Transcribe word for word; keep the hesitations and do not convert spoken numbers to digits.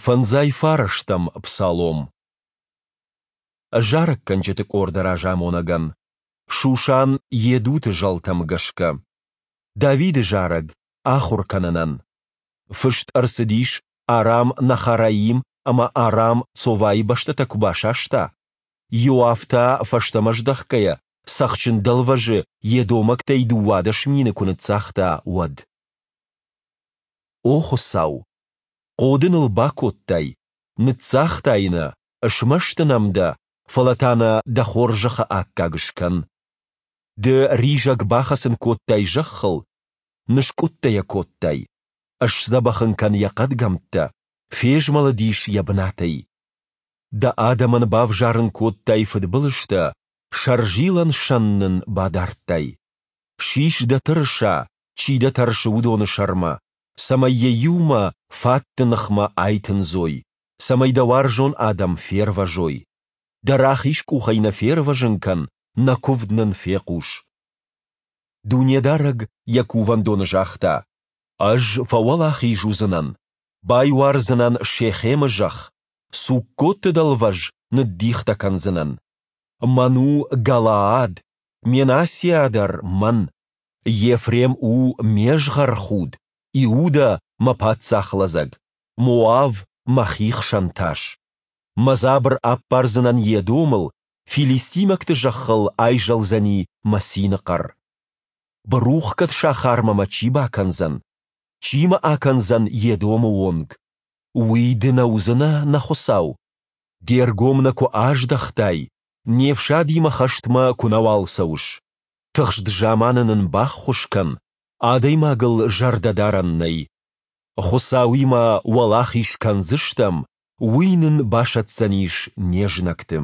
Фӕндзай фарӕстӕм псалом. Зарӕггӕнджыты къорды разамонӕгӕн. Шушан Йедуты зӕлтӕм гӕсгӕ. Давиды зарӕг, ахуыр кӕнынӕн. Фыст ӕрцыдис, Арам-Нахараим ӕмӕ Арам-Цовайы бӕстӕтӕ куы басаста, Иоав та, фӕстӕмӕ здӕхгӕйӕ, Цӕхджын дӕлвӕзы едомӕгтӕй дыууадӕс мины куы ныццагъта, уӕд. О Хуыцау! Хъоды ныл бакодтай, ныццагътай нӕ, смӕсты нӕм дӕ, фӕлӕ та нӕ дӕ хорзӕхы аккаг скӕн. Ды ризӕг бахӕцын кодтай зӕххыл, ныскъуыдтӕ йӕ кодтай. Сдзӕбӕх ын кӕн йӕ хъӕдгӕмттӕ, фезмӕлыдис йӕ бынатӕй. Дӕ адӕмӕн бавзарын кодтай фыдбылызтӕ, сӕрзилӕн сӕн нын бадардтай. Сис дӕ тырыса, чи дӕ тӕрсы, уыдоны сӕрмӕ, цӕмӕй йӕ иумӕ фатты ныхмӕ айтындзой, цӕмӕй дӕ уарзон адӕм фервӕзой. Дӕ рахиз къухӕй нӕ фервӕзын кӕн, нӕ куывд нын фехъус. Дунедарӕг йӕ кувӕндоны загъта, Ӕз фӕуӕлахиз уыдзынӕн, байуардзынӕн Шехемы зӕхх, Суккоты дӕлвӕз ныддихтӕ кӕндзынӕн. Мӕн у Галаад, Менассиа дӕр мӕн. Ефрем у ме згъӕрхуд, Иудӕ мӕ паддзахлӕдзӕг, Моав мӕ хихсӕн тас. Мӕ дзабыр аппардзынӕн Едомыл, филистимӕгты зӕххыл айзӕлдзӕни мӕ цины хъӕр. Бырухгӕд сахармӕ мӕ чи бакӕндзӕн? Чи мӕ акӕндзӕн Едомы онг? Уый ды нӕ уыдзынӕ, нӕ Хуыцау? Де ргом нӕ куы аздӕхтай, не фсадимӕ хӕстмӕ куы нӕуал цӕуыс. Тыхст заманы нын баххуыс кӕн, адӕймагыл зӕрдӕ дарӕн нӕй. Хуыцауимӕ уӕлахиз кӕндзыстӕм, Уый нын басӕтдзӕнис не знӕгты.